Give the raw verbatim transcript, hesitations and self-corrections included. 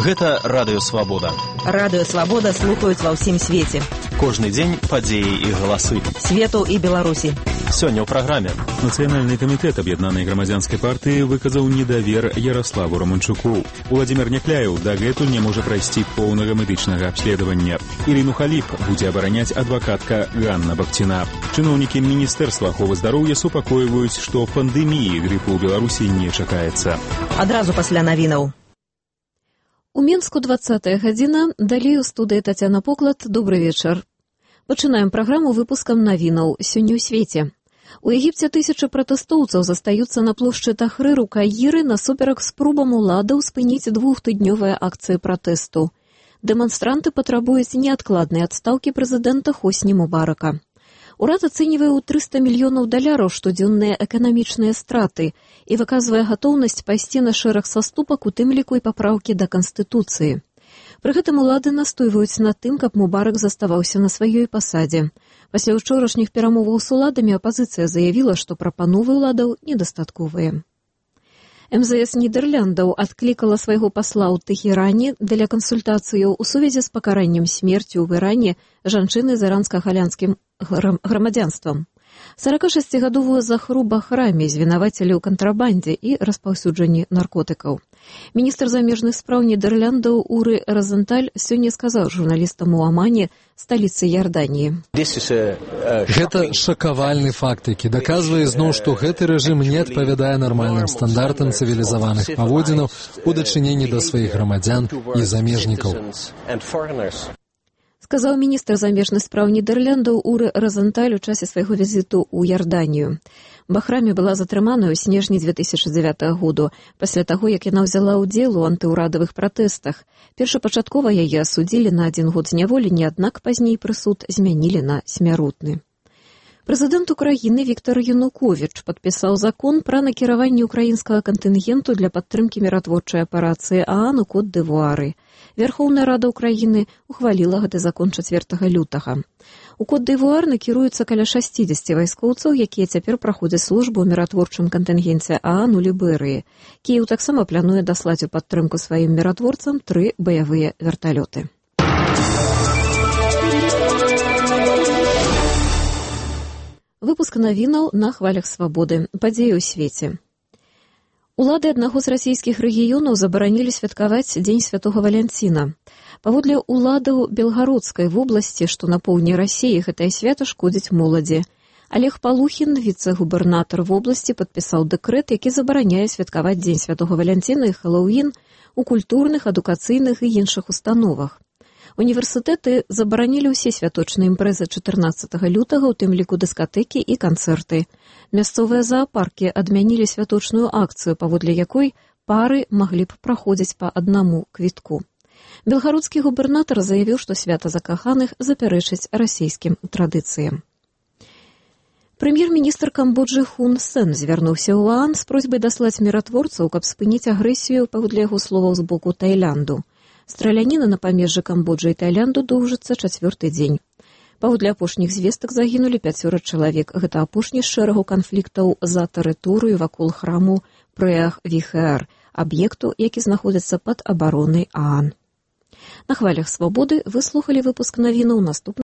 Гэта Радыё Свабода. Радыё Свабода слухаюць ва ўсім свеце. Кожны дзень падзеі і галасы. Свету і Беларусі. Сёння ў праграме. Нацыянальны камітэт аб'яднанай грамадзянскай партыі выказаў недавер Яраславу Романчуку. Уладзімір Някляеў дагэтуль не можа прайсці поўнага медычнага абследавання. Ірыну Халіп будзе абараняць адвакатка Ганна Бахціна. Чыноўнікі Міністэрства аховы здароўя супакойваюць, што пандэміі грыпу ў Беларусі не чакаецца. Адразу пасля навінаў. У Мінску двадцатая гадзіна, далей у студыі Тацяна Поклад. Добры вечар. Пачынаем праграму выпускам навінаў сёння ў свеце. У Егіпце тысячы пратэстоўцаў застаюцца на плошчы Тахрыр у Каіры насуперак спробам уладаў спыніць двухтыднёвыя акцыі пратэсту. Дэманстранты патрабуюць неадкладнай адстаўкі прэзідэнта Хосні Мубарака. Урад ацэньвае ў трыста мільёнаў даляраў штодзённыя эканамічныя страты і выказвае гатоўнасць пайсці на шэраг саступак, у тым ліку і папраўкі да Канстытуцыі. Пры гэтым улады настойваюць на тым, каб Мубарак заставаўся на сваёй пасадзе. Пасля ўчорашніх перамоваў з уладамі апазіцыя заявіла, што прапановы ўладаў недастатковыя. эм зэ эс Нідэрляндаў адклікала свайго пасла ў Тэхеране для кансультацыяў у сувязі з пакараннем смерцю ў Іране жанчыны з іранска-галянскім грамадзянствам. саракашасцігадовую Захру Бахрами звінавацілі ў кантрабандзе і распаўсюджанні наркотыкаў. Міністр замежных спраў Нідэрляндаў Уры Розенталь сёння сказаў журналістам у Амане, сталіцы Ярданіі. Гэта шакавальны факт, які даказвае зноў, што гэты рэжым не адпавядае нармальным стандартам цывілізаваных паводзінаў у дачыненні да сваіх грамадзян і замежнікаў. Сказаў міністр замежных спраў Нідэрляндаў Уры Розенталь у часе свайго візіту ў Ярданію. Бахрами была затрыманая ў снежні дзве тысячы дзявятага году, пасля таго, як яна ўзяла ўдзел у антыўрадавых пратэстах. Першапачаткова яе асудзілі на адзін год зняволення, аднак пазней прысуд змянілі на смяротны. Прэзідэнт Украіны Віктор Януковіч падпісаў закон пра накіраванне ўкраінскага кантынгенту для падтрымкі міратворчай аперацыі ААН у Кот-д'Івуары. Верхоўная Рада Украіны ухваліла гэты закон чацвёртага лютага. У Кот-д'Івуар накіруецца каля шасцідзесяці вайскоўцаў, якія цяпер праходзяць службу ў міратворчым кантынгенце ААН у Ліберыі. Кіеў таксама плануе даслаць у падтрымку сваім міратворцам тры баявыя верталёты. Выпуск навінаў на хвалях свабоды. Падзеі ў свеце. Улады аднаго з расійскіх рэгіёнаў забаранілі святкаваць Дзень святога Валянціна. Паводле уладаў Белгародскай вобласці, што на поўдні Расіі, гэтае свята шкодзіць моладзі. Алег Палухін, віцэ-губернатар вобласці, падпісаў дэкрэт, які забараняе святкаваць Дзень святога Валянціна і Хэллоуін у культурных, адукацыйных і іншых установах. Універсітэты забаранілі ўсе святочныя імпрэзы чатырнаццатага лютага, у тым ліку дыскатэкі і канцэрты. Мясцовыя заапаркі адмянілі святочную акцыю, паводле якой пары маглі б праходзіць па аднаму квітку. Белгародскі губернатар заявіў, што свята закаханых запярэчыць расійскім традыцыям. Прэм'ер-міністр Камбоджы Хун Сен звярнуўся ў ААН з просьбай даслаць міратворцаў, каб спыніць агрэсію, паводле яго словаў, з боку Таілянду. Страляніна на памежжы Камбоджы і Таілянду доўжыцца чацвёрты дзень. Паводле апошніх звестак загінулі пяцёра чалавек. Гэта апошні з шэрагу канфліктаў за тэрыторыю вакол храму Преах-Віхеар, аб'екту, які знаходзіцца пад абаронай ААН. На хвалях свабоды вы слухалі выпуск навінаў. Наступны